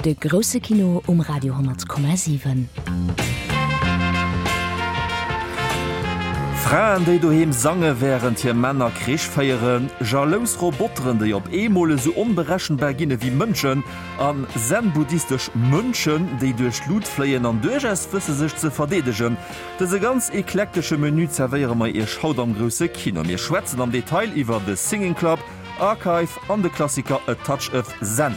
De grousse Kino um Radio 10,7. Fraen, déi doheem sange wärend hir Männer Krich féieren, jalous Roboteren, déi op eemol esou onberechenbar ginn ewéi Mënschen, an zen-buddhistesch Mönchen, déi duerch d'Lut fléien an duerchaus wësse sech ze verdeedegen. Dëse ganz eklektesche Menü zerwéiere mer iech haut am grousse Kino. Mir schwätzen am Detail iwwer The Singing Club, Archive an de Klassiker A Touch of Zen.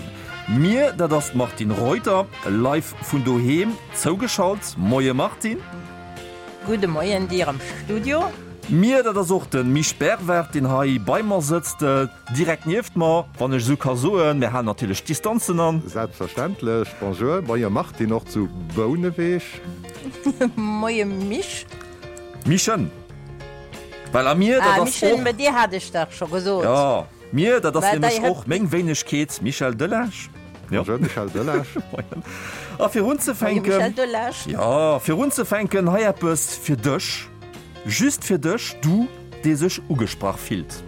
Mir, dat ass d'Martine Reuter, live vun doheem zougeschalt. Moie Martine. Gudde Moien dir am Studio. Mir, dat ass och de Misch Bervard, deen hei bei mer sëtzt, direkt nieft mer, wann ech esou ka soen. Mir halen natierlech d'Distanzen an. Selbstverständlech. Bonjour. Moie Martine, och zu Bouneweg. Moie Misch. Mischen. Well a mir, dat Ah, ass Michel, och. mä dir hat ech dach scho gesot. Jo, mir, dat ass Mä nämlech dei och meng Wéinegkeet, Michel Delage. Jo. Bonjour, Michel Delage. Moien. A fir Moie unzefänken. Michel Delage. Jo, fir unzefänken, hei eppes fir dech, just fir dech, du, dee sech ugesprach fillt.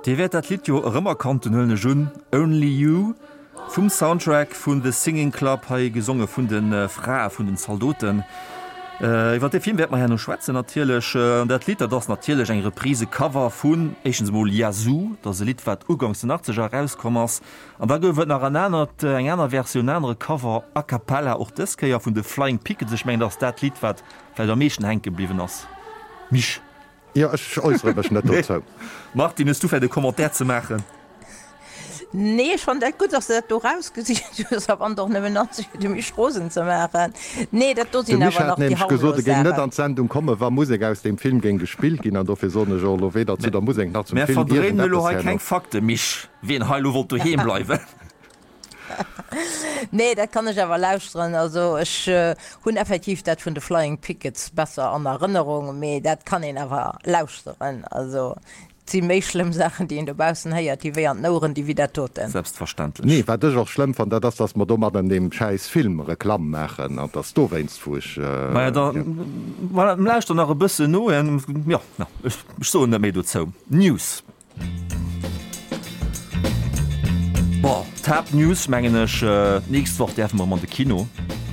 Dir wäert dat Lidd jo erëmerkannt hunn, huelen ech un, Only You vum Soundtrack vun The Singing Club, hei gesonge vun de Frae vun den Zaldoten. Iwwer dee Film wäerte mer herno schwätzen natierlech. An dat Lidd, dat ass natierlech eng Reprise, Cover vun éischtens emol Yazoo, dat ass e Lidd wat uganks den Achtzeger erauskomm ass. An da gouf et nach en anert, eng aner Versioun, en anere Cover a cappella, och dës Kéier vun de Flying Pickets. Ech mengen, dat ass dat Lidd wat vläicht am meeschten hänke bliwwen ass, Misch. Jo, ech äussere mech net dozou. Martine, hues du vläicht e Commentaire ze maachen? Nee, ech fannen dat gutt, dass de dat do rausgesicht hues, a wann et och nëmmen ass, fir de Misch rosen ze maachen. Nee, dat do De sinn Misch awer hat nach déi nämlech gesot, harmlos e géing net Saachen. an d'Sendung kommen, wa Musek aus deem Film géing gespillt ginn, an dofir soen ech och elo weder zu der Musek nach zum Mär Film verdréinen elo iergendeppes hei keng herno. Fakten, Misch, wien hei elo wollt doheem bleiwen. Nee, dat kann ech awer lauschteren. Also ech hunn effektiv dat vun de Flying Pickets besser an Erënnerung, mee dat kann een awer lauschteren. Also. Et si méi schlëmm Saachen, déi een dobaussen héiert, déi wéi an den Oueren di wéi dat doten. Selbstverständlech. Nee, wat ech och schlëmm fannen, dat ass, dass mer domadder an deem schäiss Film Reklamm maachen. An dass dowéinst, wou ech. Maja, da voilà, lauschter nach e bëssen no. Jo, ech soen net méi dozou. News. Bon, d'Haaptnews, mengen ech, d'nächst Woch däerfe mer erëm an de Kino.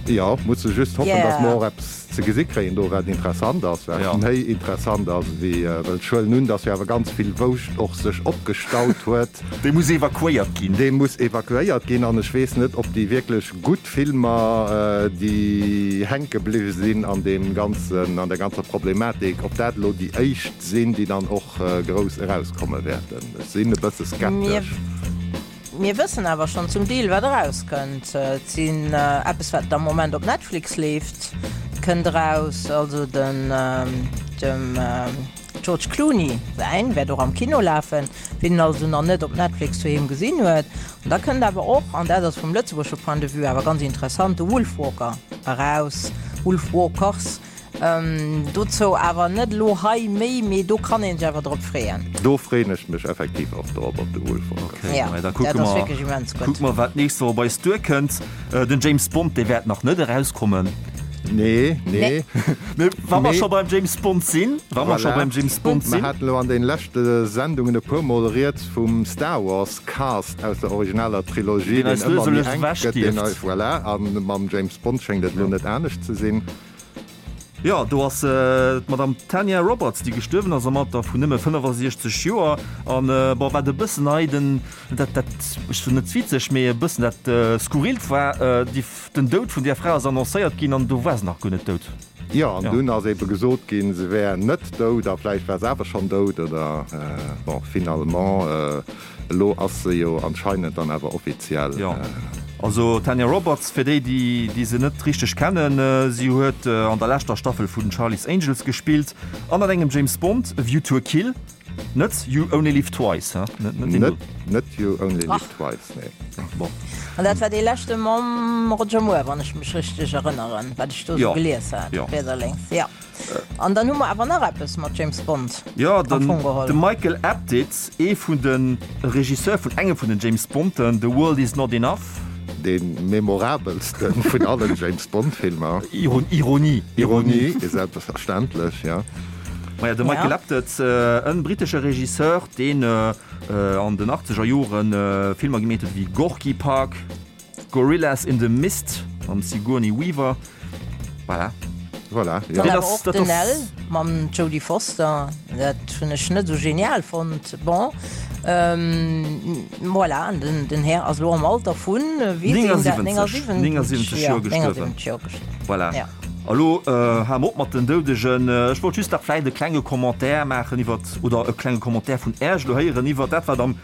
Jo, musse just hoffen, dass mer och eppes ze gesi kréien do, wat interessant ass, wat méi interessant ass ewéi, well ech huelen un, dass jo awer ganz vill Wouscht och sech opgestaut huet. Dee muss evakuéiert ginn. Dee muss evakuéiert ginn an ech weess net, ob déi wierklech gutt Filmer, déi hänke bliwwe sinn an deem ganzen, an der ganzer Problematik, ob dat elo déi éischt sinn, déi dann och grouss erauskomme wäerten. Ech sinn e bësse skeptesch. Mir wëssen awer schonn zum Deel, wat erauskënnt. Et sinn eppes, wat am Moment op Netflix leeft, kënnt eraus. Also den dem George Clooney säin wäert och am Kino lafen, wien en also nach net op Netflix doheem gesinn huet. An da kënnt awer och, an dat ass vum lëtzebuergesche Point de vue awer ganz interessant, de Wolfwalker eraus, Wolfwalkers. Dozou awer net elo hei méi, mee do kann een sech awer drop freeën. Do freeën ech mech effektiv och drop, op de Wolfwalkers. Okay, Ja, maja, da dat kucke ass mer, wierklech immens gutt. kucke mer, wat d'nächst Woch op eis duerkënnt. Den James Bond, dee wäert nach net erauskommen. Nee, nee. Mee wa mer Mee. scho beim James Bond sinn, wa mer scho Voilà. beim James Bond Mer sinn. haten elo an den leschte Sendungen e puer Mol rieds vum Star Wars Cast aus der originaler Trilogie, Deen deen eis lues ëmmer a méi lues enk ewech gëtt, deen dierft. eis, voilà, a mam James Bond schéngt et elo net anescht ze sinn. Jo, do ass d'Madame Tanya Roberts, déi gestuerwen ass am Alter vun nëmme 65 Joer. An bon, wat e bëssen hei den, dat, dat, ech soen net witzeg, mee e bëssen dat Skurrilt war, déi, den Doud vun där Fra ass annoncéiert ginn an do war se nach guer net dout. Jo, an dunn ass ebe gesot ginn, se wär net dout a vläicht war se awer schonn dout oder, bon, finalement. Elo ass se jo anscheinend dann awer offiziell. Jo, also d'Tanya Roberts, fir déi, déi se net richteg kennen, si huet an der leschter Staffel vun Charlie's Angels gespillt an an engem James Bond, A View to a Kill, net You Only Live Twice, he? Net deen do. Net You Only Live Twice, nee. Bon. An dat war dee leschte mam Roger Moore, wann ech mech richteg erënneren, wat ech do esou gelies hat, riets a lénks, jo. An dann hu mer awer nach eppes mat James Bond Jo, am den Fong geholl. de Michael Apted, ee vun de Regisseur vun engem vun den James Bonden, The World Is Not Enough. Dee memorabelste vun allen James Bond Filmer. Ironie. Ironie, selbstverständlech, jo. Maja, de Michael Apted, e brittesche Regisseur, deen an den achtzeger Jore Filmer gemeet huet wéi Gorky Park, Gorillas in the Mist mam Sigourney Weaver. Voilà. Voilà, jo. Dann awer och den L mam Jodie Foster, dat hunn ech net esou genial fonnt. Bon, voilà, an den, den Här ass elo am Alter vun, wéi sinn dat, 79, 79 Joer gestuerwen. 79 Joer gestuerwen. Voilà. Ja. A lo hale mer op mat den Doudegen. Ech wollt just nach vläicht e klenge Commentaire maachen iwwert, oder e klenge Commentaire vun Äerch elo héieren iwwert dat, wat am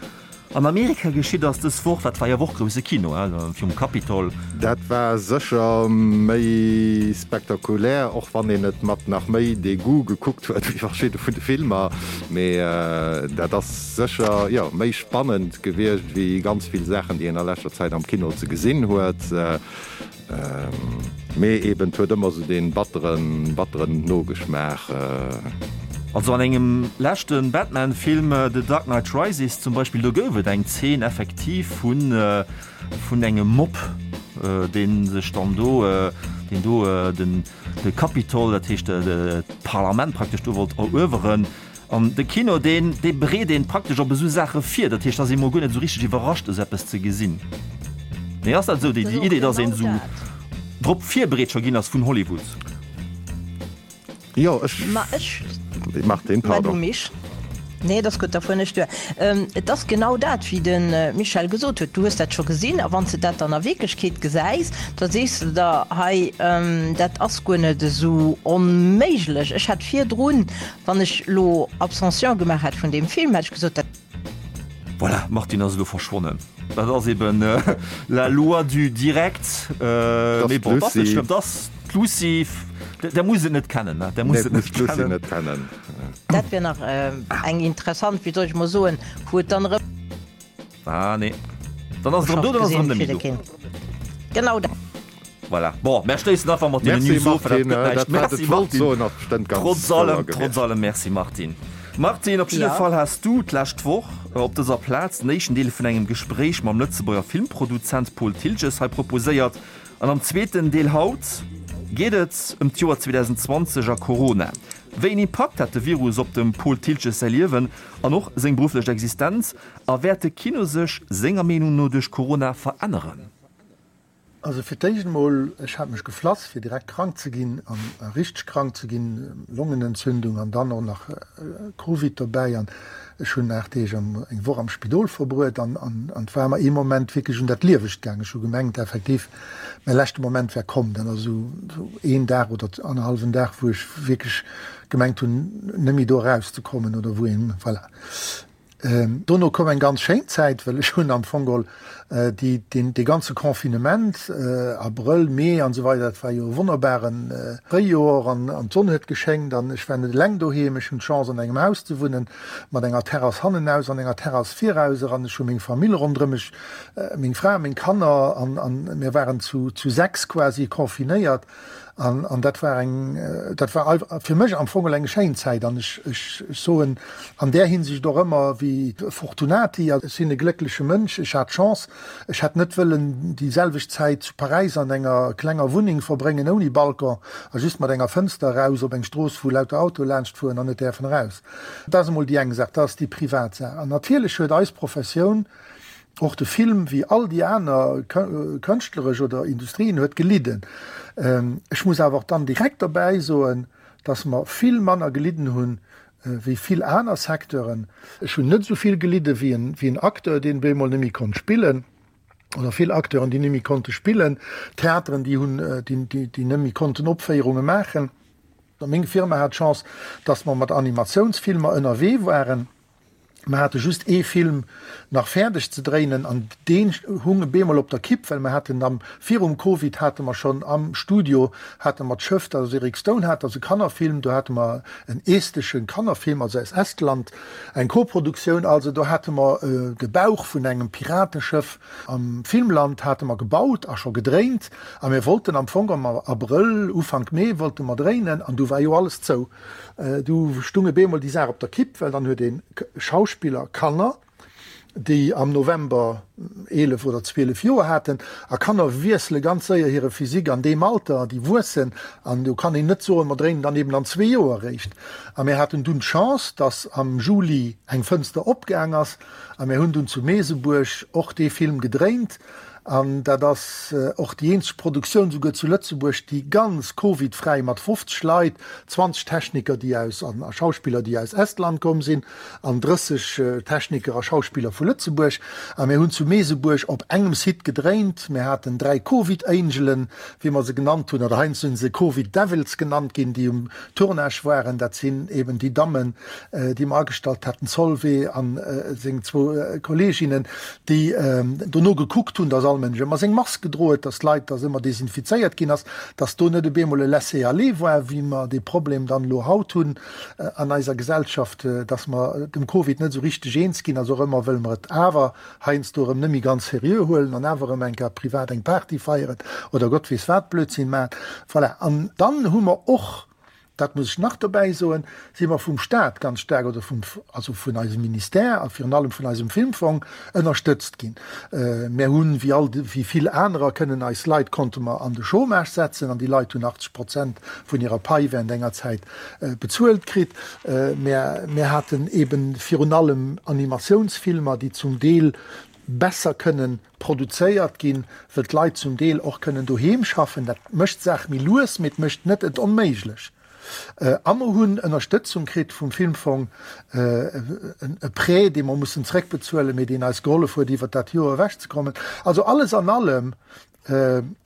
An Amerika geschitt ass dës Woch, dat war jo och grousse Kino, he, virum Capitol. Dat war sécher méi spektakulär, och wann een et mat nach méi Degoût gekuckt huet wéi verschidde vun de Filmer. Mee dat ass sécher, jo, méi spannend gewiescht wéi ganz vill Saachen, déi een a leschter Zäit am Kino ze gesinn huet. Mee eben, et huet ëmmer sou dee batteren, batteren Nogeschmaach. Also an engem leschte Batman-Film, The Dark Knight Rises zum Beispill, do gouf et eng Zeen effektiv vun, vun engem Mob, dee sech dann do, deen do den, de Capitol, dat heescht d'Parlament praktesch do wollt erueweren. An de Kino, deen, dee bereet een praktesch op esou Saache vir. Dat heescht, da ass ee mol guer net esou richteg iwwerrascht, esou eppes ze gesinn. Nee, ass dat esou, déi, déi Idee, dass een esou drop virbereet scho ginn ass vun Hollywood? Jo, ech. Ma ech. Martine, Ma du pardon. Mich. Nee, et ass gutt, da fueren ech duer. Et ass genau dat, wéi de Michel gesot huet. Du hues dat scho gesinn a wann s de dat dann a Wierklechkeet gesäis, da sees de der, hei, dat ass guer net esou onméiglech. Ech hat virdrun Wann ech lo Abstention gemaach hätt vun deem Film, hätt ech gesot, dat. Voilà, d'Martine ass elo verschwonnen. Dat ass eben la loi du direct. Mee bon, dat ass net schlëmm. Dat ass d'Lucie. Der musst et net kennen, ne? Der musst et net kennen. Dat wier nach eng interessant, wéi soll ech mol soen, wou et dann erëm. Ah nee. Dann ass et erëm do, dann ass et erëm net méi do. Genau dat. Voilà. Bon, mär schléissen einfach mat deenen Merci News of, well dat Martine, gëtt näischt. dat wat Merci ech wollt Martine. soen ass bestëmmt ganz Trotz wouer allem, gewiescht. trotz allem Merci Martine. Martine, op jidde Fall has du d'lescht Woch op dëser Plaz den éischten Deel vun engem Gespréich mam Lëtzebuerger Filmproduzent Paul Thiltges hei proposéiert. An am zweeten Deel haut geet et ëm d'Joer 2020 a Corona. Wéi een Impakt hat de Virus op dem Paul Thiltges säi Liewen an och seng berufflech Existenz? A wäert de Kino sech senger Meenung no duerch Corona veränneren? Also fir d'éischt emol, ech hat mech geflass fir direkt krank ze ginn an richteg krank ze ginn, Longenentzündung an dann och nach Covid dobäi an ech hunn 8 Deeg am, eng Woch am Spidol verbruet an an et war mer ee Moment wierklech un dat Liewegt gaang. Ech hu gemengt effektiv mäi leschte Moment wär komm. Dat ass esou een Dag oder annerhallwen Dag wou ech wierklech gemengt hunn net méi do erauszekommen oder wou een, voilà. Dono koum eng ganz schéin Zäit, well ech hunn am Fong geholl déi, deen, dee ganze Confinement, Abrëll, Mee an esou weider, dat war jo e wonnerbare Fréijoer an an d'Sonn huet geschéngt an ech war net eleng doheem. Ech hunn d'Chance an engem Haus ze wunnen mat enger Terrass hannenaus an enger Terrass viraus eran. Ech hu meng Famill ronderëm mech, meng Fra, meng Kanner an an mir waren zu zu 6 quasi confinéiert. An, an dat war eng, dat war fir mech am Fong eng schéin Zäit. An ech, ech, ech soen an där Hinsicht och ëmmer wéi Fortunati, ech sinn e gléckleche Mënsch, ech hat d'Chance, ech hätt net wëllen déi selwecht Zäit zu Paräis an enger klenger Wunneng verbréngen ouni Balcon a just mat enger Fënster eraus op eng Strooss, wou lauter Autoe laanscht fueren an net däerfen eraus. Dat ass emol déi eng Saach, dat ass déi privat Saach. An natierlech huet eis Professioun, Och de Film, wéi all déi aner kënschtleresch oder Industrien, huet gelidden. Ech muss awer och dann direkt dobäi soen, dass mer vill manner gelidden hunn, wéi vill aner Secteuren. Ech hunn net esou vill gelidde wéi en Acteur, deen bemol net méi konnt spillen, oder vill Acteuren, déi net méi konnte spillen, Theateren, déi hunn, déi net méi konnten Opféierunge maachen. Meng Firma hat d'Chance, dass mer mat Animatiounsfilmer ënnerwee waren. Mer hate just ee Film nach fäerdeg ze dréinen an deen hung bemol op der Kipp, well mer haten am, virum Covid hate mer schonn am Studio hate mer d'Schëff, dat ass Eric Stone hat, dat ass e Kannerfilm, do hate mer en estesche Kannerfilm, also aus Estland, eng Koproduktioun, also do hate mer de Bauch vun engem Pirateschëff am Filmland hate mer gebaut a scho gedréint a mir wollten am Fong am Abrëll, Ufank Mee wollte mer dréinen an du war jo alles zou. Du stung e bemol déi Saach op der Kipp, well dann huet ee Schauspiller Kanner, déi am November 11 oder 12 Joer haten, a Kanner wiessele ganz séier hire Physique an deem Alter, déi wuessen, an do kann een net soen, mer dréinen dann eben an zwee Joer eréischt. A mir haten dunn d'Chance, datt am Juli eng Fënster opgaang ass, a mir hunn dunn zu Meesebuerg och dee Film gedréint. An dat ass och déi eenzeg Produktioun souguer zu Lëtzebuerg, déi ganz Covid-fräi mat 50 Leit, 20 Techniker, déi aus an a Schauspiller, déi aus Estland komm sinn, an 30 Techniker a Schauspiller vu Lëtzebuerg. A mir hunn zu Meesebuerg op engem Site gedréint. Mir haten 3 Covid-Angelen, wéi mer se genannt hunn, oder heiansdo sinn se Covid-Devils genannt ginn, déi um Tournage waren. Dat sinn eben déi Dammen, déi mer agestallt haten, d'Solvay a seng zwou Kolleeginnen, déi dono gekuckt hunn, dass all Mënsch ëmmer seng Mask gedroe huet, dass d'Leit, dass ëmmer desinfizéiert ginn ass, dass do net op eemol e Laisser-aller war, wéi mer dee Problem dann elo haut hunn an eiser Gesellschaft, dass mer dem Covid net esou richteg eens ginn, also och ëmmer wëlle mer et awer heiansdo erëm net méi ganz seriö huelen an awer erëm eng Kéier privat eng Party feieren oder Gott weess wat Blödsinn maachen. Voilà. An dann hu mer och dat muss ech nach dobäi soen, si mer vum Stat ganz staark oder vum, also vun eisem Ministère a virun allem vun eisem Filmfong ënnerstëtzt ginn. Mär hunn, wéi all, wéi vill anerer, kënnen eis Leit konnte mer an de Chômage setzen an déi Leit hunn 80 Prozent vun hirer Pai während enger Zäit bezuelt kritt. Mär, mär haten eeben virun allem Animatiounsfilmer, déi zum Deel besser kënnen produzéiert ginn, wëll d'Leit zum Deel och kënnen doheem schaffen. Dat mécht d'Saach méi lues, mee et mécht net et onméiglech. A mer hunn Ënnerstëtzung kritt vum Filmfong, e Prêt, dee mer mussen zréckbezuelen, mee deen eis gehollef huet, iwwert dat Joer ewechzekommen. Also alles an allem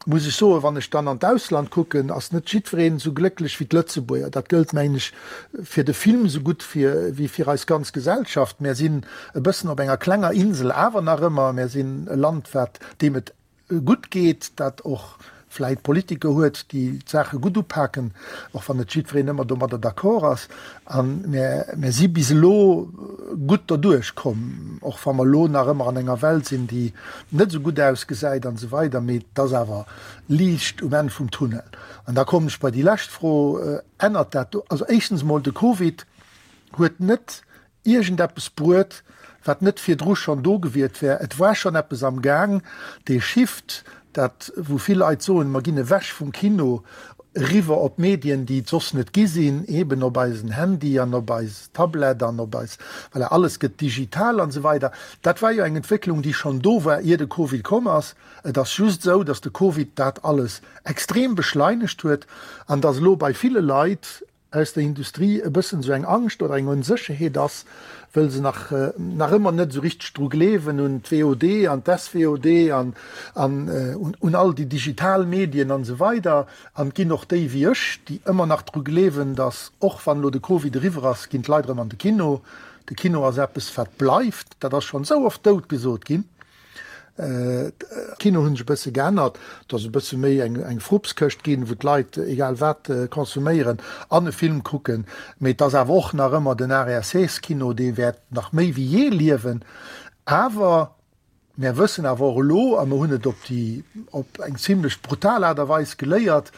muss ech soen, wann ech dann an d'Ausland kucken, ass net jiddwereen esou glécklech wéi d'Lëtzebuerger. Dat gëllt, mengen ech, fir de Film esou gutt wéi fir eis ganz Gesellschaft. Mär sinn e bëssen op enger klenger Insel awer nach ëmmer. Mär sinn e Land, wat, deem et gutt geet, dat och vläit Politiker huet, déi d'Saache gutt upaken, och wann net jiddwereen ëmmer domadder d'accord ass. A mär si bis elo gutt derduerch komm, och wa mer elo nach ëmmer an enger Welt sinn, déi net esou gutt ausgesäit an esou weider, mee et ass awer Liicht um Enn vum Tunnel. An da kommen ech bei déi lescht Fro, Ännert dat do, also éischtens emol de Covid. Huet net iergendeppes bruet, wat net virdru schonn do gewiert wär. Et war schonn eppes am Gaang, dee Shift, dat wou vill Leit soen, mer ginn ewech vum Kino eriwwer op Medien, déi et soss net gi sinn, eben op eisen Handy an op eis Tablett an op eis, voilà, alles gëtt digital an esou weider. Dat war jo eng Entwécklung, déi schonn do war, ier de Covid komm ass. Et ass just esou, datt de Covid dat alles extrem beschleinegt huet an datt elo bei ville Leit aus der Industrie e bëssen esou eng Angscht oder eng Onsécherheet ass, wëll se nach nach ëmmer net esou richteg dru gleewen un d'VOD an d'SVOD an an un all déi digital Medien an esou weider. An et ginn och déi wéi ech, déi ëmmer nach dru gleewen, datt och wann elo de Covid eriwwer ass, ginn d'Leit erëm an de Kino. De Kino ass eppes wat bleift. Dat ass schonn esou oft dout gesot ginn. D'Kino hunn sech e bësse geännert, et ass e bësse méi eng Frupskëscht ginn, wou d'Leit egal wat konsuméieren an e Film kucken. Mee et ass awer och nach ëmmer den Art-et-Essais-Kino, dee wäert nach méi wéi jee liewen. Awer mär wëssen awer och elo, a mer hunn et op déi op eng zimlech brutal Aart a Weis geléiert,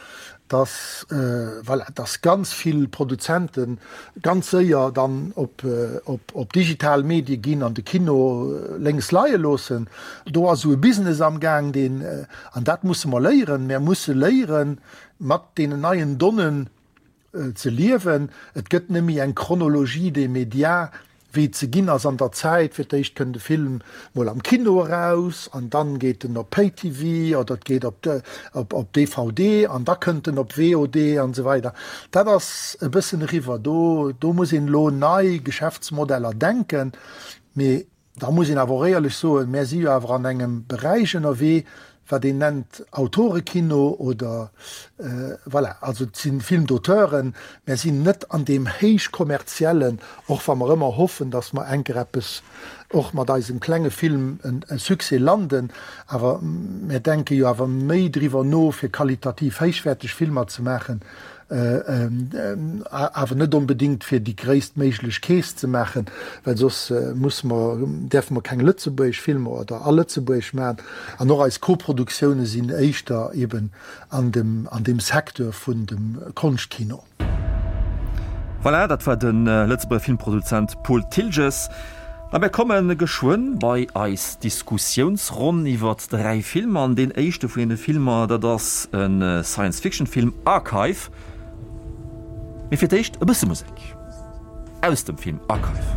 dass, voilà, dass ganz vill Produzente ganz séier dann op, op digital Medie ginn an de Kino lénks leie loossen. Do ass esou e Business am Gaang, deen, an dat musse mer léieren, mär musse léieren, mat deenen neien Donnen ze liewen. Et gëtt net méi eng Chronologie des médias, wéi et ze ginn ass an der Zäit. Fir d'éischt kënnt e Film mol am Kino eraus an dann geet en op Pay-TV oder et geet op DVD an da kënnt en op VOD an esou weider. Dat ass e bëssen eriwwer. Do, do muss een elo nei Geschäftsmodeller denken. Mee da muss een awer och éierlech soen, mär si jo awer an engem Beräich ënnerwee, wat een nennt Autorekino oder voilà, also et si Film-d'auteuren, mär sinn net an deem héich kommerziellen, och wa mer ëmmer hoffen, datt mer enker eppes och mat eisem klenge Film e Succès landen, awer mär denke jo awer méi driwwer no, fir qualitativ héichwäerteg Filmer ze maachen, awer net onbedéngt fir déi gréisstméiglech Keess ze maachen, well soss musse mer, däerfe mer keng lëtzebuergesch Filmer oder a Lëtzebuergesch maachen. An och eis Koproduktioune sinn éischter eben an dem, an deem Secteur vun dem Konschtkino. Voilà, dat war de Lëtzebuerger Filmproduzent Paul Thiltges. A mir komme geschwënn bei eis Diskussiounsronn iwwert 3 Filmer. An deen éischte vun deene Filmer, dat ass e Science-Fiction-Film, Archive. Mee fir d'éischt e bësse Musek aus dem Film Archive.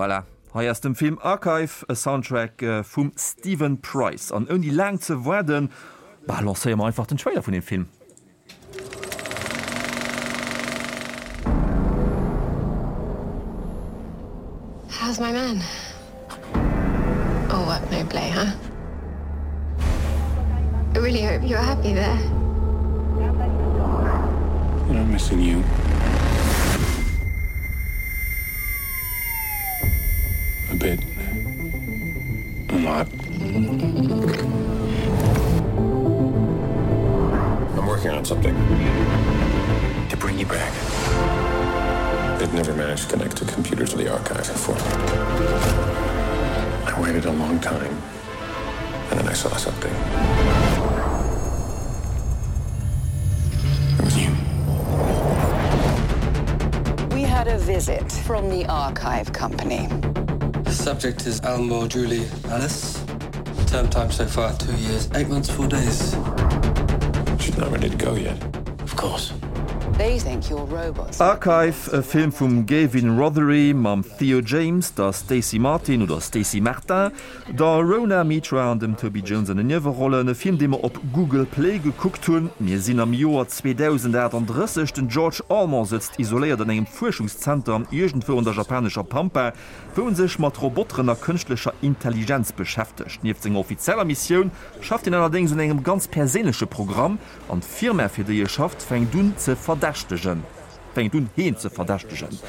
Voilà, hei aus dem Film Archive, e Soundtrack vum Steven Price. An ouni laang ze waarden, bah, lancéiere mer einfach den Trailer vun deem Film. How's my man? Oh, what no play, huh? I really hope you're happy there. I'm missing you. A bit. A lot. I'm working on something to bring you back. They've never managed to connect to computers of the archive before. I waited a long time and then I saw something. It was you. We had a visit from the archive company. The subject is Almore Julie Alice. Term time so far two years, eight months, four days. She's not ready to go yet. Of course. They think you're robots. Archive, e Film vum Gavin Rothery mam Theo James, der Stacey Martin oder Stacey Martin, der Rhona Mitra an dem Toby Jones an den Niewerollen. E Film, dee mer op Google Play gekuckt hunn. Mir sinn am Joer 2038. Den George Allman sëtzt isoléiert an engem Fuerschungszenter iergendwou an der japanescher Pampa, wou en sech mat Roboteren a kënschtlecher Intelligenz beschäftegt. Nieft senger offizieller Missioun schafft hien allerdéngs un engem ganz perséinleche Programm, an d'Firma fir déi e schafft fänkt un ze verdächtegen, fänkt un heen ze verdächtegen.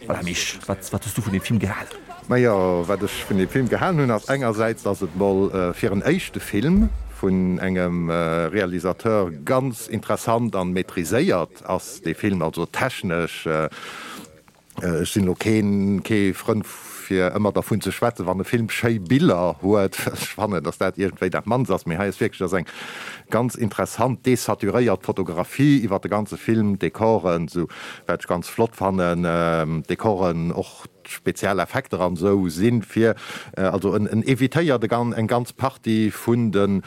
Voilà Misch, wat wat hues du vun deem Film gehalen? Majo, wat ech vun deem Film gehalen hunn ass engersäits, dass et mol fir en éischte Film vun engem Realisateur ganz interessant an maîtriséiert ass, dee Film, also technesch. Ech sinn elo keen kee Frënd fir ëmmer dervun ze schwätzen, wann e Film schéi Biller huet, well ech fannen, datt dat iergendwéi dat mannst ass. Mee hei ass wierklech ass eng ganz interessant desaturéiert Fotografie iwwer de ganze Film, d'Dekoren, esou wat ech ganz flott fannen, d'Dekoren, och d'Spezialeffekter an esou sinn fir, also en en evitéiert e gan eng ganz Partie vun de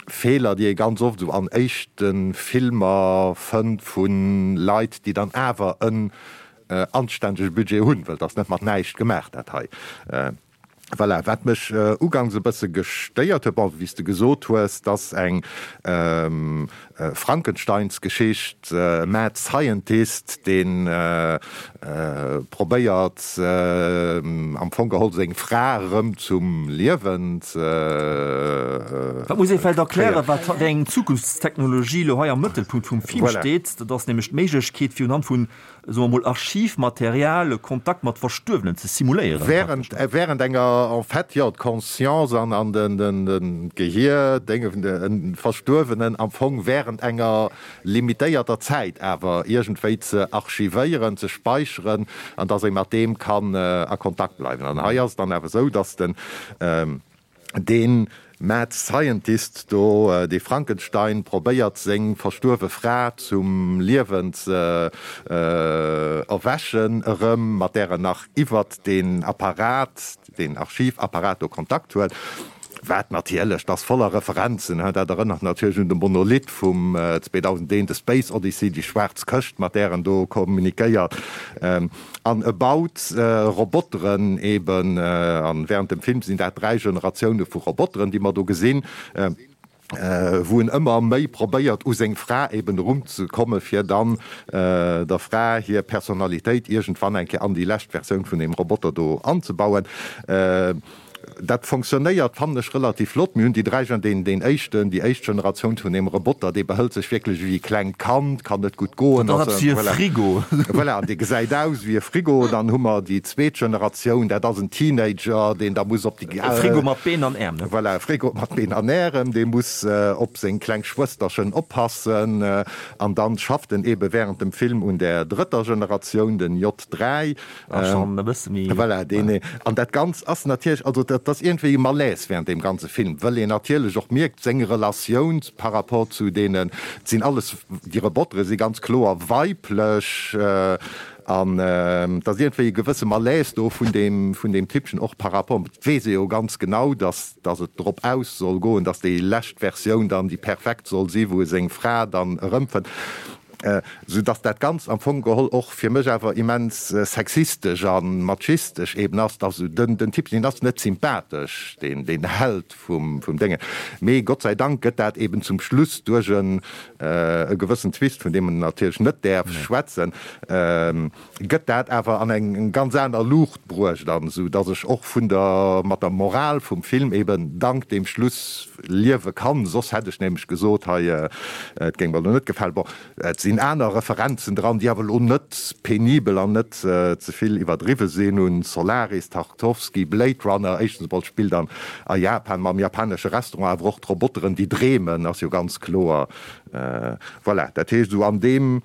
Feeler, déi ee ganz oft esou an éischte Filmer fënnt vu Leit, déi dann awer en anständege Budget hunn, well et ass net mat näischt gemaach dat hei. Voilà, wat mech uganks e bësse gestéiert huet, bon, wéi s de gesot hues, dass eng Frankensteinsgeschicht, Mad Scientist, dee probéiert am Fong geholl seng Fra erëm zum Liewen ze Dat muss ee vläicht erklären, wat wéi eng Zukunftstechnologie elo hei am Mëttelpunkt vum Film steet. Dat ass nämlech d'Méiglechkeet, fir unhand vun soe mer mol, Archivmaterial e Kontakt mat Verstuerwenen ze simuléieren. Während, während enger, en fait, jo, d'Conscience an, an den, den, den Gehier, Dénge vun de Verstuerwenen am Fong während enger limitéierter Zäit awer iergendwéi ze archivéieren, ze speicheren an dass ee mat deem kann a Kontakt bleiwen. An hei ass et dann awer esou, dass den, dee Mad Scientist do, dee Frankenstein, probéiert seng verstuerwe Fra zum Liewen ze erwächen erëm, mat där en nach iwwert deen Apparat, deen Archivapparat do Kontakt huet. Wat natierlech, dat ass voller Referenzen, dat erënnert natierlech un de Monolith vum 2001, The Space Odyssey, déi schwaarz Këscht, mat där en do kommunikéiert. An e baut Roboteren eben, an während dem Film sinn dat 3 Generatioune vu Roboteren, déi mer do gesinn, wou en ëmmer méi probéiert u seng Fra eben erunzekomme fir dann der Fra hir Personalitéit iergendwann eng Kéier an déi lescht Versioun vun deem Roboter do anzebauen. Dat fonctionnéiert, fannen ech, relativ flott. Mir hunn déi 3 Gen, deen, deen éischten, déi éischt Generatioun vun deem Roboter, dee behëlt sech wierklech ewéi e klengt Kand, kann net gutt goen, Dat ass eppes wéi e Frigo. Voilà, an dee gesäit aus ewéi e Frigo. Dann hu mer déi zweet Generatioun, dat ass en Teenager, deen da muss op déi. E Frigo mat Been an Äerm, ne? Voilà, e Frigo mat Been an Ärem, dee muss op seng kleng Schwësterchen oppassen. An dann schafft en eebe während dem Film un där drëtter Generatioun, den J3. Ah, schon e bësse méi. Voilà, deen, an dat Ganzt ass natierlech, also dat ass iergendwéi e Malaise während deem ganze Film, wëll een natierlech och mierkt, seng Relatioun par rapport zu deenen, et sinn alles, déi Robotere si ganz kloer weiblech, an et ass iergendwéi e gewësse Malaise do vun deem, vun deem Typpchen och par rapport, et weess ee jo ganz genau, dass, dass et drop aus soll goen, dass déi lescht Versioun dann déi perfekt soll si, wou e seng Fra dann erëmfënnt. Sou dass dat Ganzt am Fong geholl och fir mech awer immens sexistesch a machistesch eben ass, dass esou den, den Typ, deen ass net sympathesch, deen, deen Held vum, vum Déngen. Mee Gott sei Dank gëtt dat eben zum Schluss duerch en, e gewëssen Twist, vun deem en natierlech net däerf schwätzen, gëtt dat awer an eng ganz aner Luucht bruecht an esou dass ech och vun der, mat der Moral vum Film eben dank deem Schluss liewe kann. Soss hätt ech nämlech gesot, hei, et géing mer elo net gefalen. Bon, et sinn aner Referenzen dran, déi awer elo net penibel an net ze vill iwwerdriwwe sinn, un Solaris, Tarkovsky, Blade Runner, éischtens emol spillt an a Japan mam japanesche Restaurant, awer och d'Roboteren déi dreemen ass jo ganz kloer. Voilà, dat heescht esou an deem.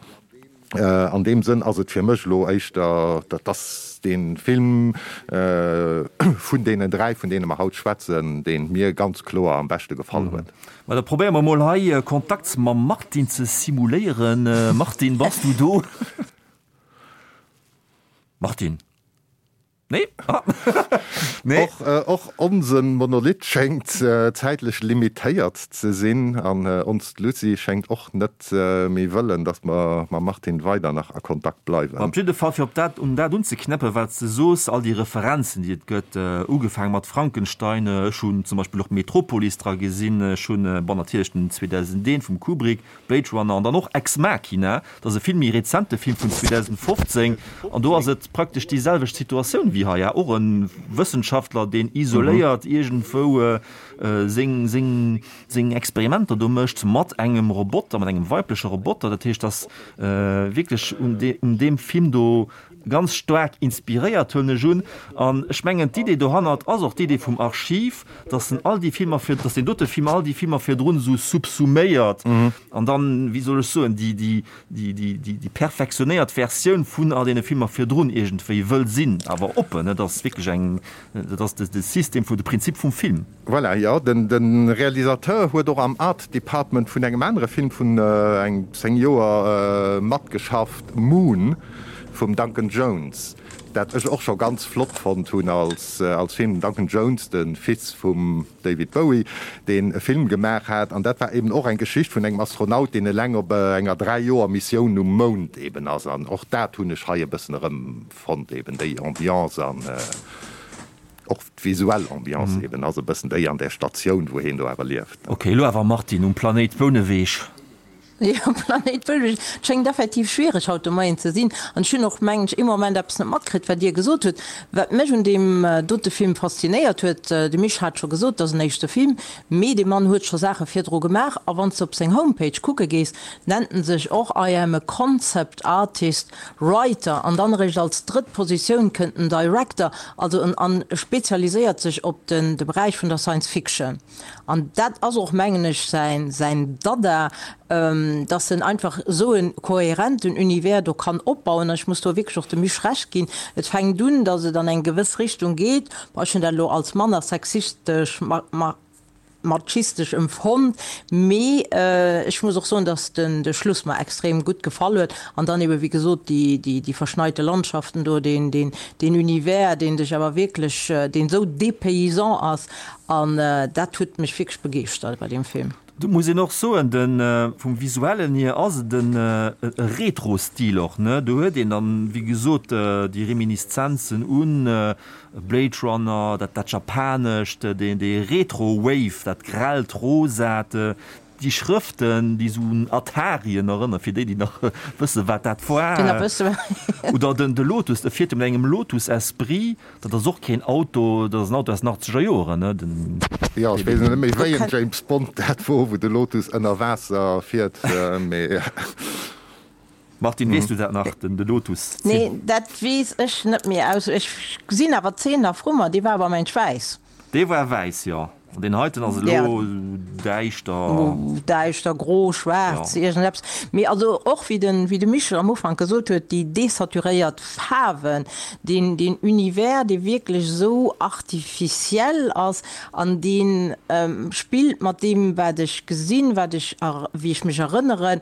An deem Sënn ass et fir mech elo éischter, dat ass dee Film vun deenen 3, vun deene mer haut schwätzen, dee mir ganz kloer am beschte gefall huet. Ma da probéiere mer mol hei Kontakt mam Martin ze simuléieren. Martin, bass du do? Martin? Nee? Ah. Nee. Och, och onsen Monolith schéngt zäitlech limitéiert ze sinn an onst Lucie schéngt och net méi wëllen, dass mer mam Martin weider nach a Kontakt bleiwen. Op jidde Fall, fir op dat, un dat unzeknäppen, wat s de soos, all déi Referenzen, déi et gëtt, ugefaange mat Frankenstein, ech hunn zum Beispill och Metropolis dra gesinn, ech hunn, bon, natierlech den 2001 vum Kubrick, Blade Runner an dann och Ex Machina, dat ass e vill méi rezente Film vun 2015 an do ass et praktesch déi selwecht Situatioun wéi hei, och e Wëssenschaftler, deen isoléiert iergendwou seng, seng, seng Experimenter do mécht mat engem Roboter, mat engem weibleche Roboter. Dat heescht, dass wierklech un deem Film do Ganz staark inspiréiert, huelen ech un. An ech mengen, d'Idee dohannert ass och d'Idee vum Archiv, dass en all déi Filmer vir, dass deen dote Film all déi Filmer virdrun esou subsuméiert an dann, wéi soll ech soen, déi, déi, déi, déi, déi, déi perfektionéiert Versioun vun all deene Filmer virdrun iergendwéi wëll sinn. Awer oppen, et ass wierklech eng, dat ass de, de System vu, de Prinzip vum Film. Voilà, jo, den, de Realisateur huet och am Art Department vun engem anere Film vun eng 10 Joer matgeschafft, Moon vum Duncan Jones, dat ech och scho ganz flott fonnt hunn als, als Film. Den Duncan Jones, de Fils vum David Bowie, deen e Film gemaach hat, an dat war eben och eng Geschicht vun engem Astronaut, deen eleng op enger 3 Joer Missioun um Mound eben ass, an och dat hunn ech hei e bëssen erëmfonnt, eben déi Ambiance an. Och d'visuell Ambiance eben ass e bëssen déi an där Statioun, wou heen do awer lieft. Ok, elo awer Martine, um Planéit Bouneweg. Jo, um Planéit Bouneweg. Et schéngt effektiv schwiereg haut de Moien ze sinn. An ech hunn och, mengen ech, ee Moment eppes net matkritt, wat Dir gesot hutt. Wat mech un deem dote Film faszinéiert huet, de Misch hat scho gesot, et ass en éischte Film, mee dee Mann huet scho Saache virdru gemaach. A wann s de op seng Homepage kucke gees, nennt en sech och I am a concept artist Writer, an dann eréischt als drëtt Positioun kënnt den Director, also en an spezialiséiert sech op den de Beräich vun der Science Fiction. An dat ass och, mengen ech, säin säin Dada, dass en einfach esou e kohärenten Univers do kann opbauen. An ech muss do wierklech och dem Misch Recht ginn, et fänkt un, dass et an eng gewëss Richtung geet, bon, ech hunn dat elo als manner sexistesch machistesch emfonnt, mee ech muss och soen, dass den de Schluss mer extrem gutt gefall huet an dann eben wéi gesot déi déi déi verschneite Landschaften do, deen deen deen Univers, deen dech awer wierklech, deen esou dépaysant ass an dat huet mech wierklech begeeschtert bei deem Film. Do muss een och soen, de vum visuellen hier ass et en e Retro-Stil och, ne? Do huet een dann, wéi gesot, déi Reminiszenzen un Blade Runner, dat dat Japanescht, dee dee Retro-Wave, dat grellt Rosat, déi Schrëften, déi esou un Atarien erënnern, fir déi, déi nach wëssen, wat dat war. Oder den de Lotus, e fiert jo mat engem Lotus Esprit. Dat ass och keen Auto, dat ass en Auto aus den achtzeger Joren, ne? Den. Jo, ech weess net méi wéi en James Bond dat wor, wou de Lotus ënner Waasser fiert, mee. Martine, weess du dat nach, den de Lotus? Nee, dat weess ech net méi aus. Ech gesinn awer d'Zeen nach vru mer, dee war awer mensch wäiss. Dee war wäiss, jo. An deen heiten ass elo däischter. Däischter, gro, schwaarz, iergendeppes. Mee also och, wéi de, wéi de Michel am Ufank gesot huet, déi desaturéiert Faarwen, deen, deen Univers, dee wierklech esou artificiel ass an dee spillt mat deem, wat ech gesinn, wat ech, wéi ech mech erënneren,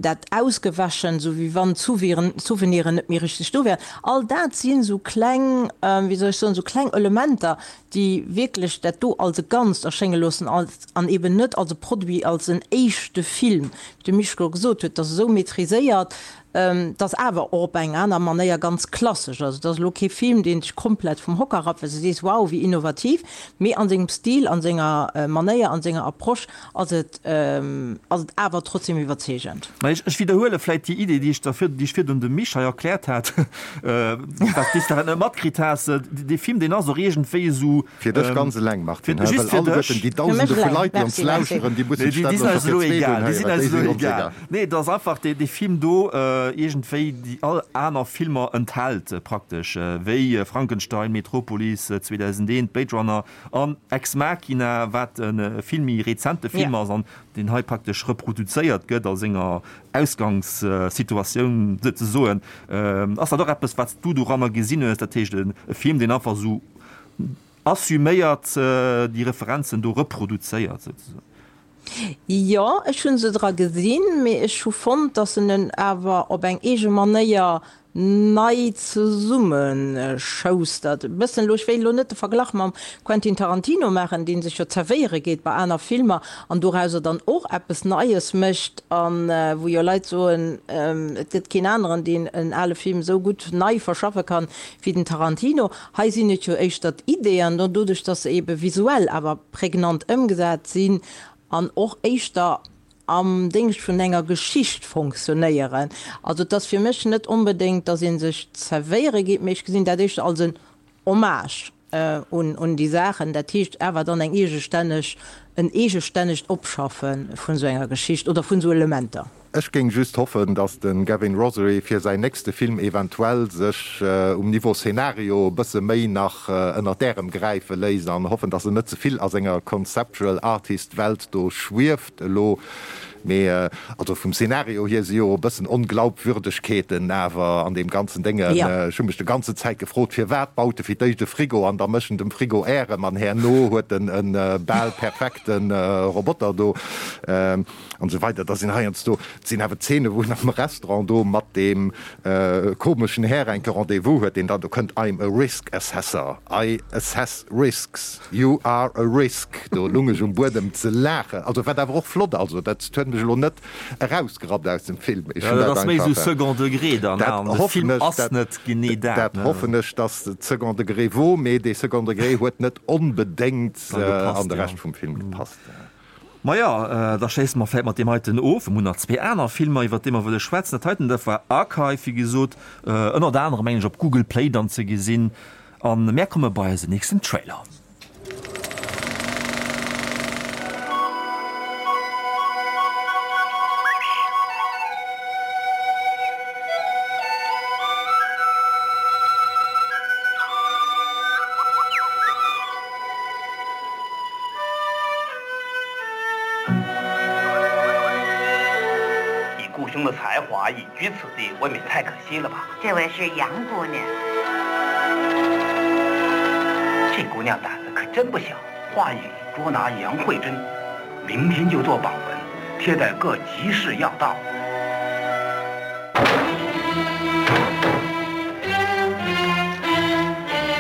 dat Ausgewäschen, esou wéi wann d'Souveniren net méi richteg do wären. All dat sinn esou kleng, wéi soll ech soen, esou kleng Elementer, déi wierklech dat do als e. e Ganzt erschénge loossen als, an eben net als e Produit, als en éischte Film, wéi de Mischko gesot huet, dat ass esou maîtriséiert, dat ass awer och op eng aner Manéier ganz klassesch. Also et ass elo kee Film, deen dech komplett vum Hocker rappt, well s de sees, wow, wéi innovativ, mee an sengem Stil, an senger Manéier, an senger Approche ass et, ass et awer trotzdem iwwerzeegend. Mä ech, ech widderhuele vläit déi Idee, déi ech der vir, déi ech virdrun dem Misch hei erkläert hat, wat s de dat net matkritt has. Dee Film, deen ass och iergendwéi esou. Fir dech ganz eleng, Martine, hä? Just Well fir dech. alleguerten déi Dausende vu Leit, déi ons lauschteren, déi mussen sech dat elo elo scho scho fir fir d'zweet egal. Déi unhéieren. sinn Déi eis sinn elo ons egal. egal. Nee, et ass einfach dee, dee Film do iergendwéi déi all aner Filmer enthält praktesch, wéi Frankenstein, Metropolis, 2001, Blade Runner an Ex Machina, wat e vill méi rezente Film ass an deen hei praktesch reproduzéiert gëtt a senger Ausgangssituatioun souzesoen. Ass dat och eppes, wat s du doranner gesinn hues? Dat heescht e Film, deen einfach esou assuméiert déi Referenzen do reproduzéiert souzesoen? Jo, ech hu se dra gesinn, mee ech hu fonnt, datt en en awer op eng eege Manéier nei zesummeschoustert. E bëssen elo, ech wéilt elo net de Verglach mam Quentin Tarantino maachen, dee sech jo zerwéiere geet bei aner Filmer an dorauser dann och eppes Neies mécht a wou jo Leit soen, et gëtt keen aneren, deen en ale Film esou gutt nei verschaffe kann wéi den Tarantino. Hei sinn et jo éischter d'Ideeën, an doduerch, dass se ebe visuell awer prägnant ëmgesat sinn an och éischter am Déngscht vun enger Geschicht fonctionnéieren. Also et ass fir mech net onbedéngt, dass ee sech zerwéiere geet, mee ech gesinn dat éischter als en Hommage un déi Saachen. Dat heescht awer dann eng eegestänneg, en eegestännegt Opschaffe vun esou enger Geschicht oder vun esou Elementer. Ech géing just hoffen, dass de Gavin Rossary fir säin nächste Film eventuell sech um Niveau Szenario e bësse méi nach ënnert d'Ärem gräife léisst an hoffen, dass en net ze vill a senger Conceptual Artist Welt do schwieft elo. Mee also vum Szenario hier si jo e bëssen Onglaubwürdegkeeten awer an deem ganzen Déngen. Ech hu mech de ganze Zäit gefrot, firwat baut e fir d'éischt e Frigo an da mécht en dem Frigo Ärem an herno huet en e bal perfekte Roboter do. An esou weider. Da sinn heiansdo, et sinn awer Zeene wou en am Restaurant do mat deem komeschen Här enke Rendez-vous huet, deen dann do kënnt, I'm a risk assessor, I assess risks, you are a risk. Do lung ech um Buedem ze laachen. Also wat awer och flott, also dat huet mech elo net erausgerappt aus dem Film. Ech hunn dat einfach. Dat ass méi esou Second degré dann, dat hoffen ech, ass net genee dat. Dat hoffen ech, dass et Second degré wor, mee dee Second degré huet net onbedéngt an de Rescht vum Film gepasst. Maja, da schléisse mer vläit mat deem heiten of. Mir hunn nach zwee aner Filmer, iwwert déi mer wëlle schwätzen. Dat heiten, dat war Archive, wéi gesot, ënnert anerem, mengen ech, op Google Play dann ze gesinn. A mär komme bei eisen nächsten Trailer. 以顾兄的才华隐居此地， 未免太可惜了吧？ 这位是杨姑娘， 这姑娘胆子可真不小。 话语捉拿杨慧珍， 明天就做榜文， 贴在各集市要道。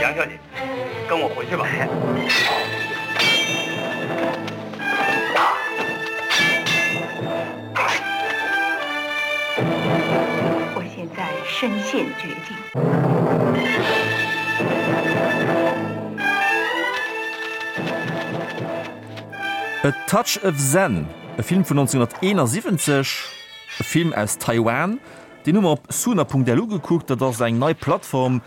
杨小姐， 跟我回去吧。 我现在身陷绝境。 A Touch of Zen, e Film vun 1971, e Film aus Taiwan, deen hu mer op Suna.lu gekuckt. Dat ass eng nei Plattform,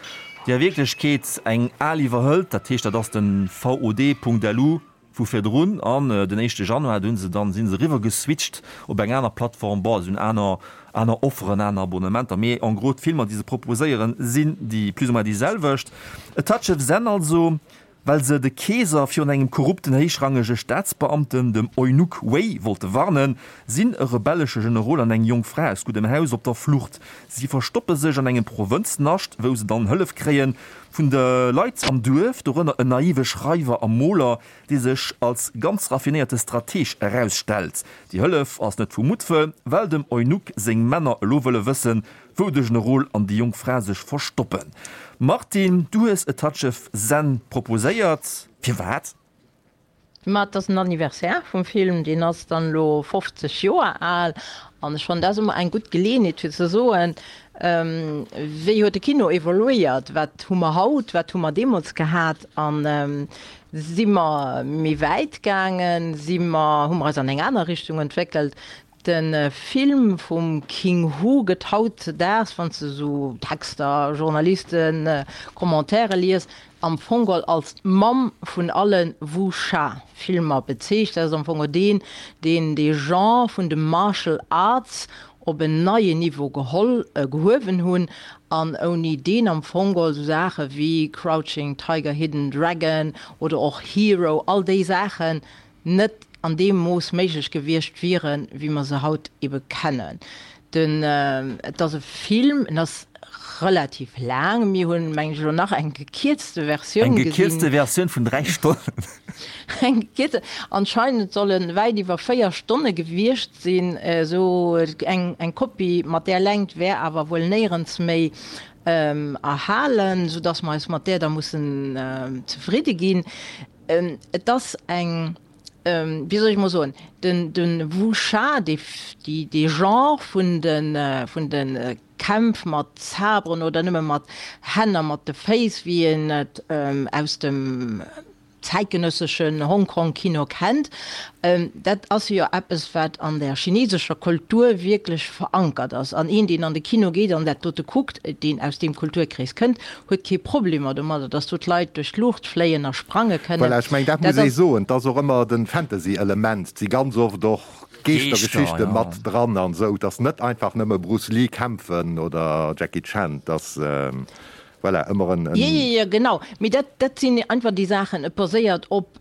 déi a Wierklechkeet eng al iwwerhëlt. Dat heescht, dat ass de VOD.lu vu virdrun. An den éischte Januar, do hu se dann, si se eriwwer geswitcht op eng aner Plattform. Bon, se hunn aner, aner Offeren, aner Abonnementer, mee en gros d'Filmer, déi se proposéieren, sinn déi plus ou moins déi selwecht. A Touch of Zen also. Well se de Keeser virun engem korrupten héichrangege Staatsbeamten, dem Eunuch Wei, wollte warnen, sinn e rebellesche Generol an eng jonk Fra aus guddem Haus op der Flucht. Si verstoppe sech an engem Provënznascht, wou se dann Hëllef kréie vun de Leit am Duerf, dorënner en naive Schreiwer a Moler, dee sech als ganz raffinéierte Strateg erausstellt. Déi Hëllef ass net vu Muttwëll, well dem Eunuch seng Männer elo wëlle wëssen, Wou de Generol an déi jonk Fra sech verstoppen. Martine, du hues A Touch of Zen proposéiert. Firwat? Ma et ass den Anniversaire vum Film, deen ass dann elo 50 Joer al. An ech fannen, dat ass ëmmer eng gutt Geleeënheet fir ze soen, Wéi huet de Kino evoluéiert, wat hu mer haut, wat hu mer deemools gehat a si mer méi wäit gaangen, si mer, hu mer eis an eng aner Richtung entwéckelt? De Film vum King Hu gëtt hautzedaags, wann s de esou Texter, Journalisten, Commentaire lies, am Fong geholl als d'Mamm vun alle Wuxia-Filmer bezeecht. Dat ass am Fong deen, deen dee Genre vun de Martial Arts op en neien Niveau geholl, gehuewen hunn an ouni deen am Fong geholl esou Saache wéi Crouching Tiger, Hidden Dragon oder och Hero, all déi Saachen net an deem Mooss méiglech gewiescht wieren, wéi mer se haut ebe kennen. Den, et ass e Film, en ass relativ laang, mir hunn, mengen ech, elo nach eng gekierzte Versioun Eng gesinn. gekierzte Versioun vun 3 Stonnen. Eng gekierzte, anscheinend soll en wäit iwwer 4 Stonne gewiescht sinn. Esou eng, eng Kopie mat där Längt wär awer wuel néierens méi erhalen, soudass mer eis mat där da mussen zefridde ginn. Et ass eng, wéi soll ech emol soen, den de Wuxia, dee dee Genre vun de vun de Kämpf mat Saberen oder nëmme mat Hänn a mat de Féiss, wéi een et aus dem zäitgenësseschen Hongkong-Kino kennt, dat ass jo eppes, wat an der chinesescher Kultur wierklech verankert ass. An een, deen an de Kino geet an dat dote kuckt, deen aus deem Kulturkrees kënnt, huet kee Problemer domadder, dass do d'Leit duerch d'Luucht fléien a sprange kënnen. Voilà, ech mengen, dat muss ee soen, et ass och ëmmer de Fantasy-Element, et si ganz oft och Geeschtergeschichte mat dran an esou, et ass net einfach nëmme Bruce Lee kämpfen oder Jackie Chan, et ass, voilà, ëmmer en. Jo, jo, jo, genau, mee dat, dat sinn einfach déi Saachen, et baséiert op,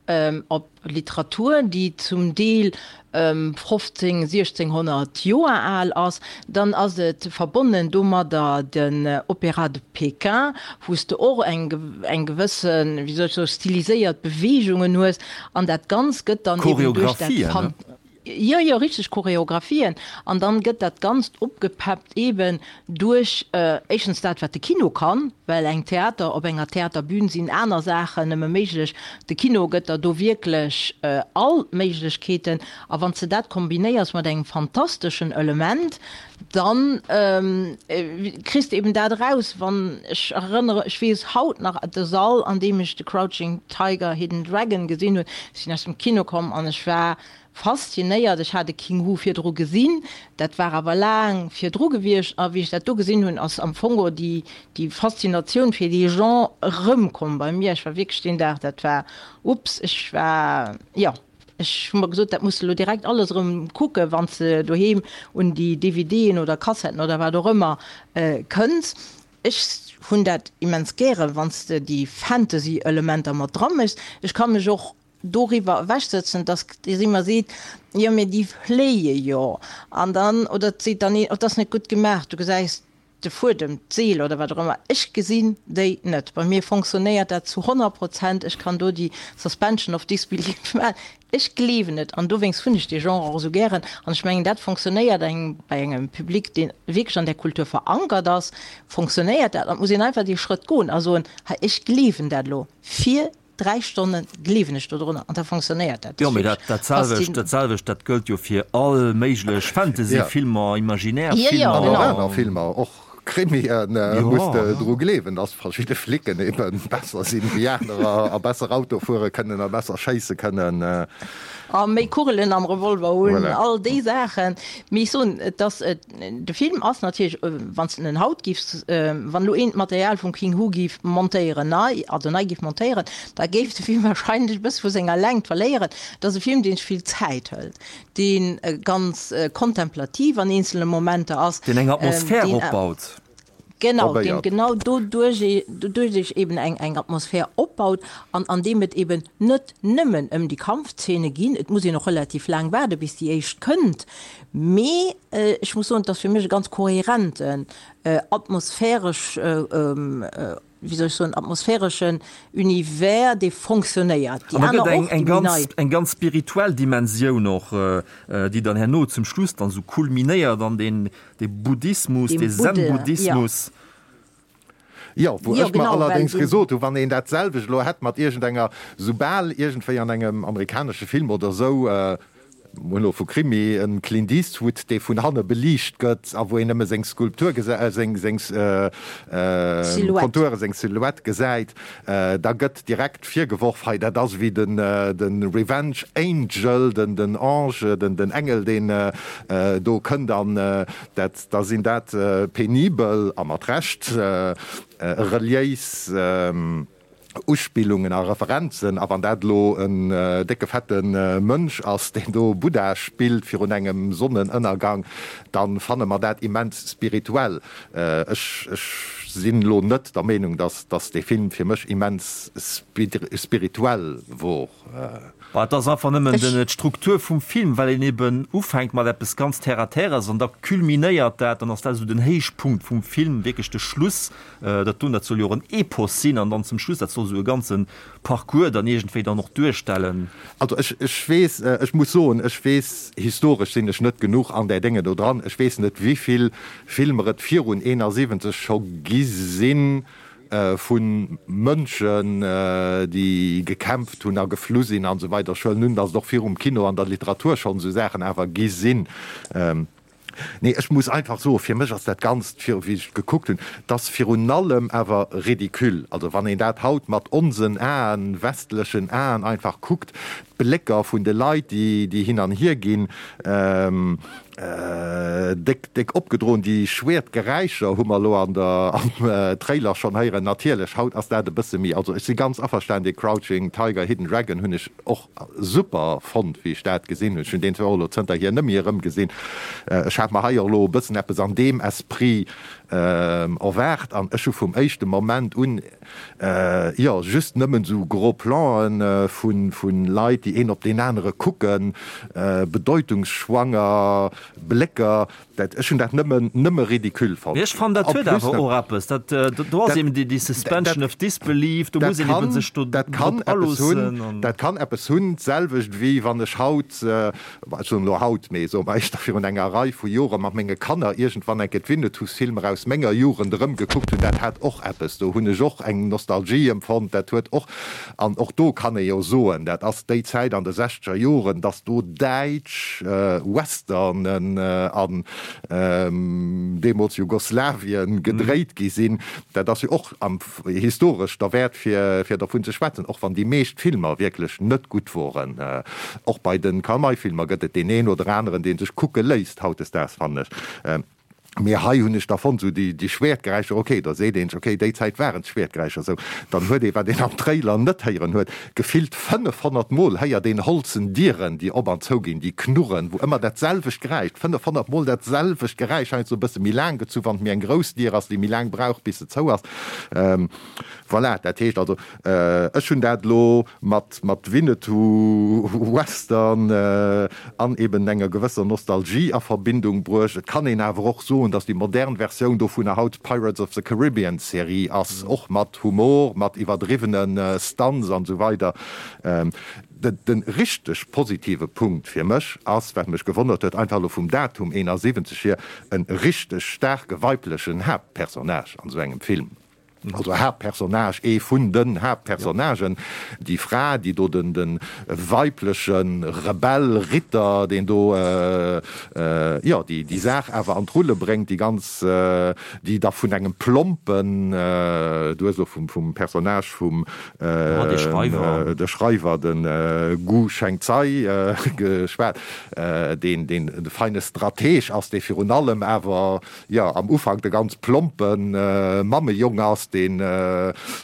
op Literatur, déi zum Deel 15, 1600 Joer al ass, dann ass et verbonnen domadder den Opéra de Pékin, wou s de och eng eng gewëssen, wéi soll ech soen, stiliséiert Beweegungen hues an dat Ganzt gëtt dann eben duerch dat Choreographien, ne? Jo, jo, richteg Choreographien. An dann gëtt dat Ganzt opgepeppt eben duerch éischtens dat, wat de Kino kann, well eng Theater, op enger Theaterbün sinn aner Saachen nëmme méiglech. De Kino gëtt der do wierklech all d'Méiglechkeeten. A wann s de dat kombinéiers mat engem fantasteschen Element, dann kriss de eben dat eraus. Wann ech erënnere, ech weess haut nach de Sall, an deem ech The Crouching Tiger, Hidden Dragon gesinn hunn, ech sinn aus dem Kino komm an ech war Faszinéiert, ech hat e King Hu virdru gesinn, dat war awer laang virdru gewiescht, a wéi ech dat do gesinn hunn, ass am Fong och déi déi Faszinatioun fir dee Genre erëmkomm bei mir. Ech war wierklech deen Dag, dat war, ups, ech war, jo, ech hu mer gesot, dat muss de elo direkt alles erëm kucken, wann s de doheem un déi DVDen oder Kassetten oder wat och ëmmer kënns. Ech hunn dat immens gären, wann s de déi Fantasy-Elementer mat dra méchs. Ech ka mech och doriwwer ewechsëtzen, dass Dir ëmmer seet, jo mee déi fléie jo, an dann, oder et seet dann een, oh dat ass net gutt gemaach, du gesäis de Fuedem, d'Seel oder wat och ëmmer. Ech gesinn déi net. Bei mir fonctionnéiert dat zu 100 Prozent. Ech kann do déi Suspension of disbelief maachen. Ech gleewen et an dowéinst hunn ech dee Genre och esou gären. An ech mengen, dat fonctionnéiert eng bei engem Public, dee wierklech an där Kultur verankert ass, fonctionnéiert dat. An et muss een einfach dee Schrëtt goen a soen, hei ech gleewen dat elo fir 3 Stonne gleewen ech dodrunner an da fonctionnéiert dat. Jo, mee dat dat selwecht, dat selwecht, dat gëllt jo fir all méiglech Fantasy-Filmer, imaginaire Filmer. An och aner Filmer, och Krimien muss de dru gleewen, dass verschidde Flicken ebe besser sinn wéi anerer a besser Auto fuere kënnen a besser schéisse kënnen. A méi Kugelen am Revolver hunn, all déi Saachen. Mee ech soen, et ass, De Film ass natierlech, wann s de en haut giffs, wann elo een d'Material vum King Hu giff montéieren, nei, also nei giff montéieren, da géif de Film wahrscheinlech e bësse vu senger Längt verléieren. Et ass e Film, deen sech vill Zäit hëlt, dee ganz kontemplativ an eenzele Momenter ass. Deen eng Atmosphär opbaut. Genau, deen genau doduerch doduerch eben eng eng Atmosphär opbaut an an deem et eben net nëmmen ëm déi Kampfzeene ginn. Et muss een och relativ laang waarde bis déi éischt kënnt, mee ech muss soen, et ass fir mech e ganz kohärenten atmosphäresch, wéi soll ech soen, atmosphäreschen Univers, dee fonctionnéiert. Déi aner och, déi méi nei. Eng ganz spirituell Dimensioun och, déi dann herno zum Schluss dann esou kulminéiert an deen De Buddhismus, de Zen-Buddhismus. Jo, wou ech mer allerdéngs gesot hu, wann een dat selwecht elo hätt mat iergendenger, soubal iergendwéi an engem amerikanesche Film oder esou, mir hunn elo vu Krimi, e Clint Eastwood, dee vun hanne beliicht gëtt a wou een nëmme seng Skulptur gesäit, seng, seng Konturen, seng Silhouette gesäit, da gëtt direkt virgeworf, hei dat ass ewéi den, de Revenge Angel, den, den Ange, den, den Engel, deen do kënnt an dat. Da sinn dat penibel, a mat Recht, reliéis Uspillungen a Referenzen. A wann dat elo en décke fette Mönch ass, deen do Buddha spillt virun engem Sonnenënnergang, da fanne mer dat immens spirituell. Ech sinn elo net der Meenung, dass dee Film fir mech immens spirituell wor. Bah, et ass einfach nëmmen den, d'Struktur vum Film, well een eben ufänkt mat eppes ganz terre à terres an da culminéiert dat, dann ass dat esou den Héichpunkt vum Film, wierklech de Schluss. Dat doen, dat soll jo och en Epos sinn an dann zum Schluss, dat soll esou e ganze Parcours dann iergendwéi dann och duerstellen. Also ech, ech weess, ech muss soen, ech weess, historesch sinn ech net genuch an där Dénge do dran, ech weess net wéivill Filmer et virun 71 scho gi sinn, vu Mënschen, déi gekämpft hunn a geflu sinn an esou weider. Ech huelen un, datt et och virum Kino an der Literatur schonn esou Saachen awer gi sinn. Nee, ech muss einfach soen, fir mech ass dat Ganzt, wéi ech et gekuckt hunn, et ass virun allem awer ridicule. Also wann een dat haut mat onsen Aen, westlechen Aen einfach kuckt, d'Blécker vun de Leit, déi hin an hier ginn, Déck, déck opgedroen. Déi schwéert Geräischer hu mer elo an der, am Trailer schonn héieren. Natierlech, haut ass dat e bësse méi, also ech si ganz averstanen, dee Crouching Tiger, Hidden Dragon hunn ech och super fonnt, wéi ech dat gesinn hunn. Ech hunn deen zwar och elo zënterhier net méi erëmgesinn. Ech hat mer hei och elo e bëssen eppes an deem Esprit erwaart an ech hu vum éischte Moment un, Jo, just nëmmen esou gros Plan'en vun Leit, déi een op deen anere kucken, bedeutungsschwanger Blécker, dat, ech hunn dat nëmmen, nëmme ridicule fonnt. Mee ech fannen, dat huet awer och eppes, dat, do ass eben déi Suspension of disbelief, do muss een eben sech do drop aloossen. Dat kann eppes hunn, d'selwecht wéi wann ech haut Ech soen elo haut, mee soe mer éischter virun enger Rei vu Jore mat menge Kanner iergendwann eng Kéier d'Winnetous-Filmer aus menger Jugend erëmgekuckt hunn, dat hat och eppes. Do hunn ech och eng Nostalgie empfonnt. Dat huet och, an och do kann ee jo soen, dat ass déi Zäit an de sechzeger Joren, datt do däitsch Westernen an deemools Jugoslawien gedréit gi sinn. Dat ass jo och am. Historesch derwäert fir fir dervun ze schwätzen, och wann déi meescht Filmer wierklech net gutt woren. Och bei de Karl May Filmer gëtt et deen een oder aneren dee sech kucke léisst hautdesdaags fannen ech. Mee hei hunn ech da fonnt esou déi déi Schwäertgeräischer, ok da seet een sech ok déi Zäit waren d'Schwäertgeräischer esou. Dann huet ee wat een am Trailer net héieren huet, gefillt 500 mol héiert een holzen Dieren déi op an zou ginn, déi knurren, wou ëmmer dat selwecht Geräisch, 500 mol dat selwecht Geräisch, heiansdo e bësse méi laang gezu wann et méi eng grouss Dier ass déi méi laang brauch bis se zou ass. Voilà, dat heescht also, ech hunn dat elo mat mat Winnetou, Western an eben enger gewësser Nostalgie a Verbindung bruecht. Et kann een awer och soen, datt déi modern Versioun dovunner haut d'Pirates of the Caribbean Serie ass, och mat Humor, mat iwwerdriwwene Stunts an esou weider. De richteg positive Punkt fir mech ass, wat mech gewonnert huet, einfach elo vum Datum 71 hier, e richteg staarke weiblechen Haaptpersonnage an esou engem Film. Also Haaptpersonnage, ee vun den Haaptpersonnagen, déi Fra, déi do den de weibleche Rebell, Ritter, deen do, jo, déi déi Saach awer an d'Rulle bréngt, déi ganz, déi da vun engem plompen, du hues elo vum vum Personnage vum de Schreiwer, de Gu Chengzai geschwat, deen deen de feine Strateg ass, dee virun allem awer, jo, am Ufank de ganz plompe Mammejong ass, dee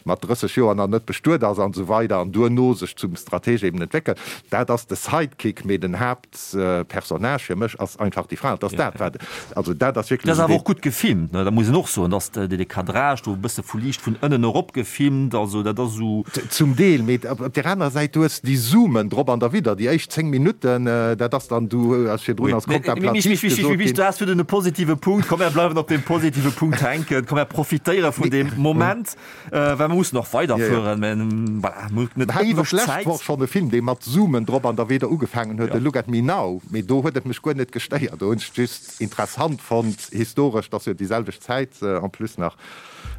mat 30 Joer nach net bestuet ass an esou weider an duerno sech zum Strateg eben entwéckelt. Dat ass de Sidekick, mee den Haaptpersonnage fir mech ass einfach déi Fra. Et ass dat, wat, also dat ass wierklech. Dat ass awer och gutt gefilmt, ne? Dat muss een och soen, dass de Cadrage do e bësse vu liicht vun ënnen erop gefilmt, also dat ass esou. Zum Deel, mee op där anerer Säit, du hues déi Zoomen drop an derwidder, déi éischt 10 Minutten, dat ass dann, du hues virdrun als kontemplativ gesot ginn. Du has virdrun e positive Punkt, komm mär bleiwen op deem positive Punkt hänken, komm mär profitéiere vun deem Moment. Moment, well mer mussen och weiderfueren, mä voilà, mir hunn net éiweg Zäit. D'lescht Woch schonn e Film, dee mat Zoomen drop an derwidder ugefaangen huet, de Look at Me Now, mee do huet et mech guer net gestéiert, do hunn ech just interessant fonnt, historesch, dass jo déi selwecht Zäit en plus nach,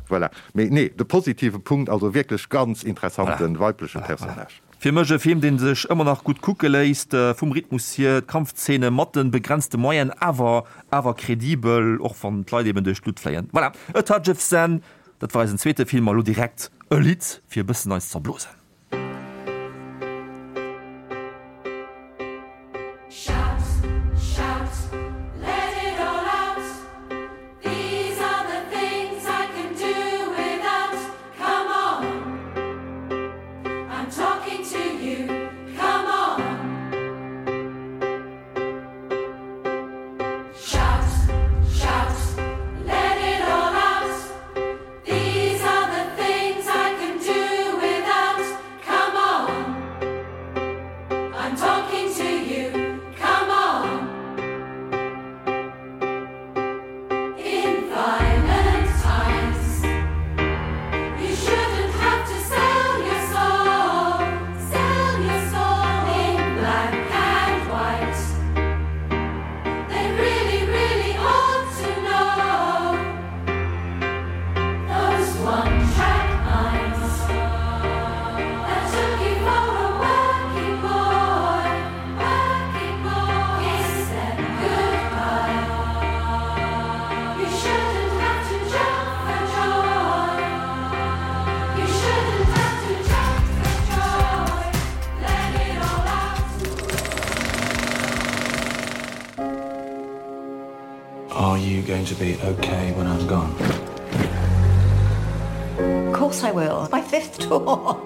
voilà. Mee nee, de positive Punkt, also wierklech ganz interessante weibleche Personnage. Fir mech e Film deen sech ëmmer nach gutt kucke léisst, vum Rhythmus hier, d'Kampfzeene mat den begrenzte Moyenen, awer awer kredibel, och wann d'Leit eben duerch d'Lutt fléien. Voilà, A Touch of Zen, dat war eisen zweete Film a lo direkt e Lidd fir e bëssen eis z'erblosen. Come on, I'm talking to you, come on. Shout, shout, let it all out. These are the things I can do without. Come on, I'm talking to you, come on. In violent times, you shouldn't have to sell your soul, sell your soul in black and white. They really, really ought to know those one-track minds that took you for a working boy, working boy. Kiss them goodbye. You shouldn't have to jump for joy. You shouldn't have to jump for joy. Let it all out. Are you going to be okay when I'm gone? Of course I will. My fifth tour.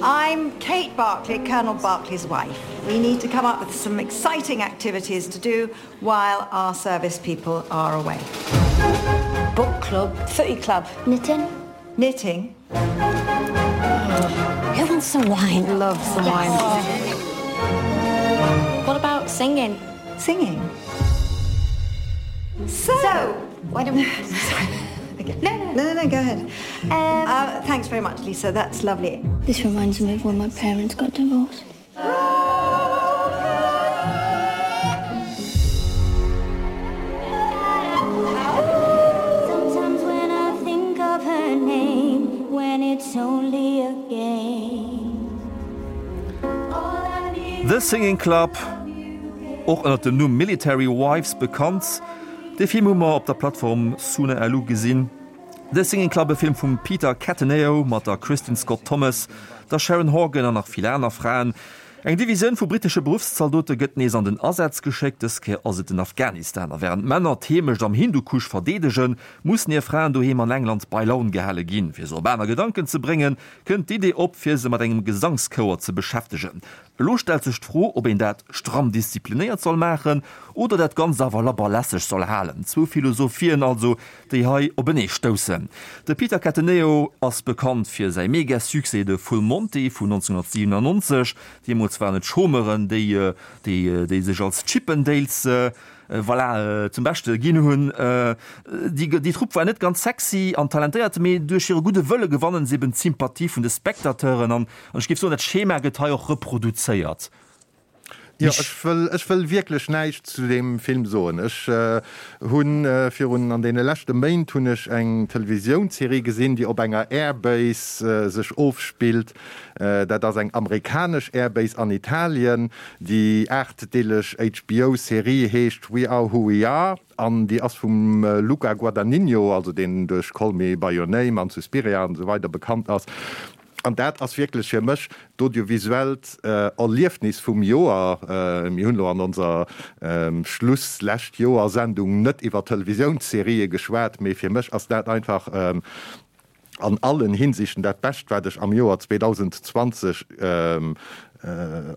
I'm Kate Barclay, Colonel Barclay's wife. We need to come up with some exciting activities to do while our service people are away. Book club, footy club, knitting, knitting. Oh, who wants some wine? Love some yes. wine. What about singing? Singing. So, so why don't we Sorry. Okay. No, no, no, no, go ahead. Um, uh, thanks very much, Lisa. That's lovely. This reminds me of when my parents got divorced. Sometimes when I think of her name, when it's only a game. The Singing Club, och ënner dem Numm Military Wives bekannt. Dee Film hu mer op der Plattform Sune Alu gesinn. The Singing Club, e Film vum Peter Cattaneo mat der Kristin Scott Thomas, der Sharon Horgan an nach vill aner Fraen. Eng Divisioun vu brittesche Beruffszaldote gëtt nees an den Asaz geschéckt, dës Kéier ass et den Afghanistan. A wärend d'Männer d'Heemecht am Hindukusch verdeedegen, mussen hir Fraen doheem an England bei Laun gehale ginn. Fir se op aner Gedanken ze bréngen, kënnt d'Idee op, fir se mat engem Gesangschouer ze beschäftegen. Elo stellt sech d'Fro, ob een dat stramm disziplinéiert soll maachen oder dat Ganzt awer labber lässeg soll halen. Zwou Philosophien also, déi hei openee stoussen. De Peter Cattaneo ass bekannt fir säi Mega-Succès De Full Monty vun 1997. Deemools waren et d'Chômeuren, déi déi sech als Chippendales voilà, zum Beschte ginn hunn. Déi Trupp war net ganz sexy an talentéiert, mee duerch hire gudde Wëlle gewannen se eben d'Sympathie vun de Spectateuren. An ech géif soen, dat Schema gëtt hei och reproduzéiert. Jo, ech wëll, ech wëll wierklech näischt zu deem Film soen. Ech hunn virun, an deene leschte Méint hunn ech eng Televisiounsserie gesinn, déi op enger Airbase sech ofspillt. Dat ass eng amerikanesch Airbase an Italien. Déi aachtdeeleg HBO-Serie heescht We Are Who We Are an déi ass vum Luca Guadagnino, also deen duerch Call Me By Your Name an Suspiria an esou weider bekannt ass. An dat ass wierklech fir mech d'audiovisuellt Erliefnis vum Joer. Mir hunn elo an onser Schluss-Lescht-Joer-Sendung net iwwer Televisiounsserië geschwat, mee fir mech ass dat einfach an allen Hinsichten dat Bescht, wat ech am Joer 2020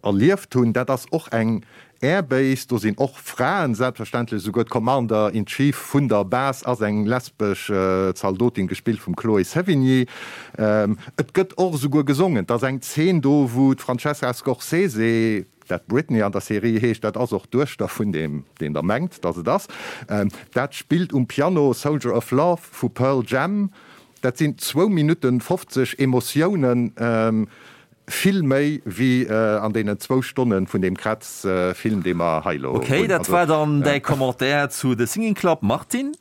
erlieft hunn. Dat ass och eng Airbase, do sinn och Fraen, selbstverständlech, esouguer d'Commander in Chief vun der Base ass eng lesbesch Zaldotin, gespillt vum Chloé Sevigny. Et gëtt och esouguer gesongen, et ass eng Zeen do, wou d'Francesca Scorsese, dat Britney an der Serie heescht, dat ass och d'Duechter vun deem, deen der mengt, datt et ass, dat spillt um Piano Soldier of Love vu Pearl Jam. Dat sinn zwou Minutten 50 Emotiounen, vill méi wéi an deenen zwou Stonne vun deem Kretz-Film, dee mer hei elo hunn. Ok, dat war dann däi Commentaire zu The Singing Club, Martine.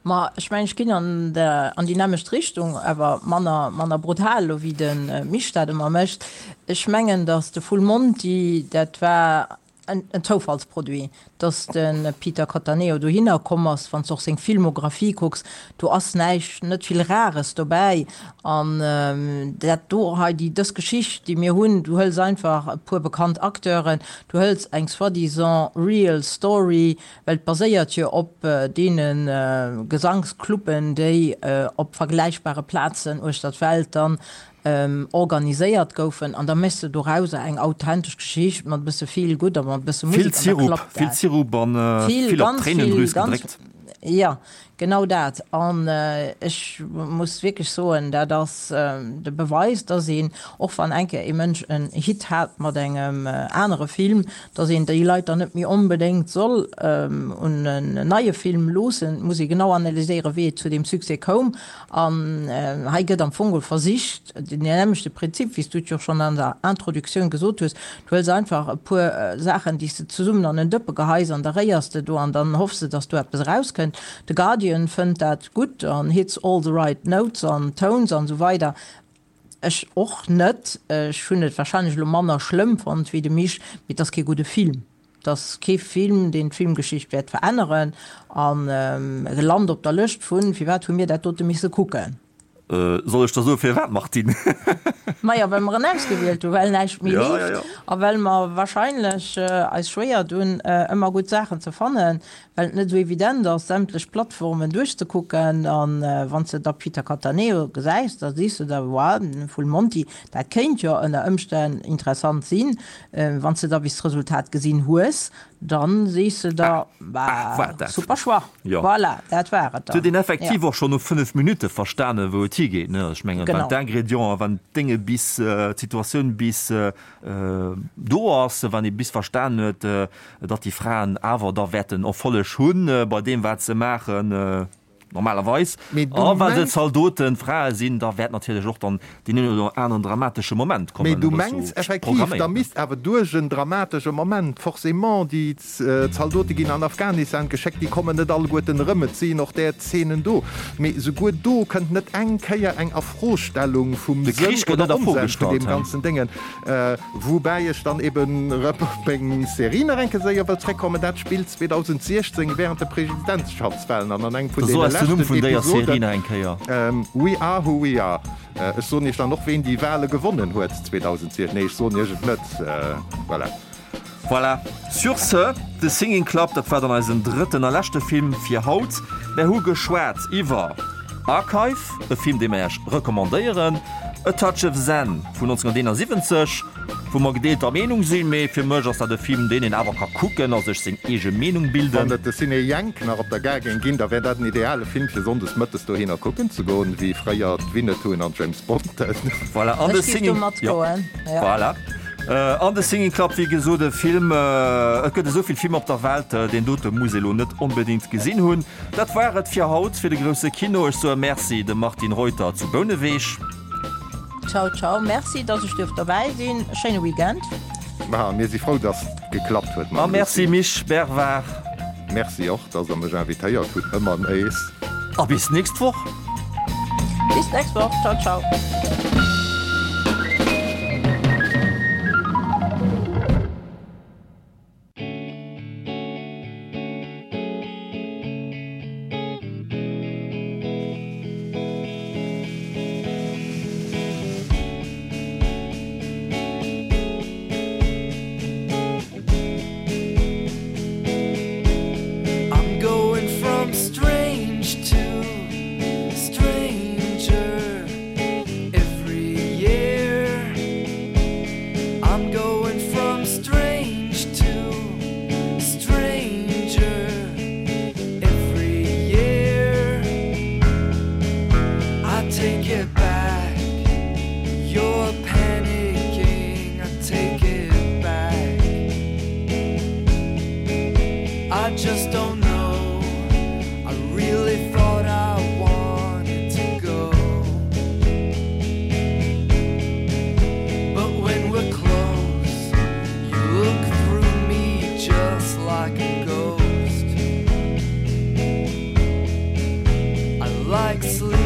Ma ech mengen, ech ginn an an déi nämmlecht Richtung, awer manner, manner brutal elo wéi de Misch dat ëmmer mécht. Ech mengen, datt de Full Monty, dat war en Zoufallsproduit, datt de Peter Cattaneo dohinner komm ass. Wann s de och seng Filmographie kucks, do ass näischt, net vill Rares dobäi. An dat do hei, déi, dës Geschicht, déi mir hunn, du hëls einfach e puer bekannt Acteuren, du hëls eng soi-disant real story, Well et baséiert jo op deene Gesangscluben, déi op vergläichbare Plazen uechter d'Welt dann organiséiert goufen. An da méchs de dorauser eng authentesch Geschicht mat e bësse Feel Good a mat e bësse Musek an da klappt dat. Vill Sirup an vill op d'Tréinendrüs gedréckt. Jo, genau dat. An ech muss wierklech soen, dat ass de Beweis, dass een, och wann eng Kéier ee Mënsch en Hit hat mat engem anere Film, dass een déi Leit dann net méi onbedéngt soll un en neie Film loossen. Et muss ee genau analyséieren, wéi et zu deem Succès koum. An hei gëtt am Fong geholl versicht, den nämmlechte Prinzip, wéi s du et jo schonn an der Introduktioun gesot hues, Du hëls einfach e puer Saachen, déi s de zesummen an en Dëppe geheis an da réiers de do an dann hoffs de, dass do eppes erauskënnt. The Guardian fënnt dat gutt an hits all the right notes an tones an esou weider. Ech och net. Ech hunn et warscheinlech elo manner schlëmm fonnt wéi de Misch, mee et ass kee gudde Film. Et ass kee Film, deen d'Filmgeschicht wäert veränneren an e lant op der Lëscht vun, Firwat hu mir dat dote misse kucken? Soll ech der soe firwat, Martine? Majo, well mer en ausgewielt hunn, well näischt méi leeft a well mer warscheinlech eis schwéier dunn, ëmmer gutt Saachen ze fannen, well et net esou evident ass, sämtlech Plattformen duerchzekucken. A wann s de da Peter Cattaneo gesäis, da sees de der, Wow, Full Monty, dat kéint jo ënner Ëmstänn interessant sinn. Wann s de da bis d'Resultat gesinn hues, Dann sees de der, bah, super Choix. Voilà, dat war et dann. Huet een effektiv och schonn no 5 Minutte verstanen, wou et higeet, ne? Ech mengen, wann d'Ingrédienten, wann d'Dénge bis, d'Situatioun bis do ass, wann ee bis verstanen huet, datt déi Fraen awer da wäerten Erfolleg hunn bei deem, wat se maachen, Normalerweis. A well se Zaldoten, Frae sinn, da wäert natierlech och dann deen een oder aneren dramatesche Moment kommen. Mee du mengs effektiv, da misst awer duerch en dramatesche Moment forcément, déi Zaldote ginn an Afghanistan geschéckt, déi kommen net alleguerten erëm, et sinn och där Zeenen do, mee souguer do kënnt net eng Kéier eng Afrostellung vum Sënn oder Onsënn vun deem ganzen Déngen. Woubäi ech dann eben erëm op meng Serie nach eng Kéier séier wëll zréckkommen, dat spillt 2016 während de Presidentschaftswahlen an an engem vun deene leschten Episoden, We Are Who We Are. Ech soen iech dann och ween déi Wahle gewonnen huet 2016, nee ech soen iech et net, voilà. Voilà, sur ce, The Singing Club, dat war dann eisen drëtten a leschte Film fir haut. Mär hu geschwat iwwer Archive, e Film, dee mer Iech recommandéieren, A Touch of Zen vun 1971, wou mer gedeelter Meenung sinn, mee fir mech ass dat e Film, deen een awer ka kucken a sech seng eege Meenung bilden. Wann et de Ciné Jänk nach op der Gare géing ginn, da wär dat en ideale Film fir sonndes mëttes dohinner kucken ze goen, wéi fréier d'Winnettuen an d'James Bonden. Voilà, an The Singing, jo, voilà. An The Singing Club, wéi gesot, e Film, et gëtt esou vill Filmer op der Welt, deen dote muss ee lo net onbedéngt gesinn hunn. Dat war et fir haut, fir de grousse Kino. Ech soe Merci dem Martine Reuter zu Bouneweg. Ciao, ciao, Merci, dass ech duerft dobäi sinn. E schéine Weekend. Ma mir si frou, dass et geklappt huet mam A Merci Misch Bervard. Merci och, dass der mech invitéiert hutt, ëmmer nees. A bis nächst Woch. Bis nächst Woch. Ciao, ciao. I'm going from strange to stranger every year. I'm going from strange to stranger every year. I take it back. You're panicking. I take it back. I just don't know. I really thought I wanted. Huxley.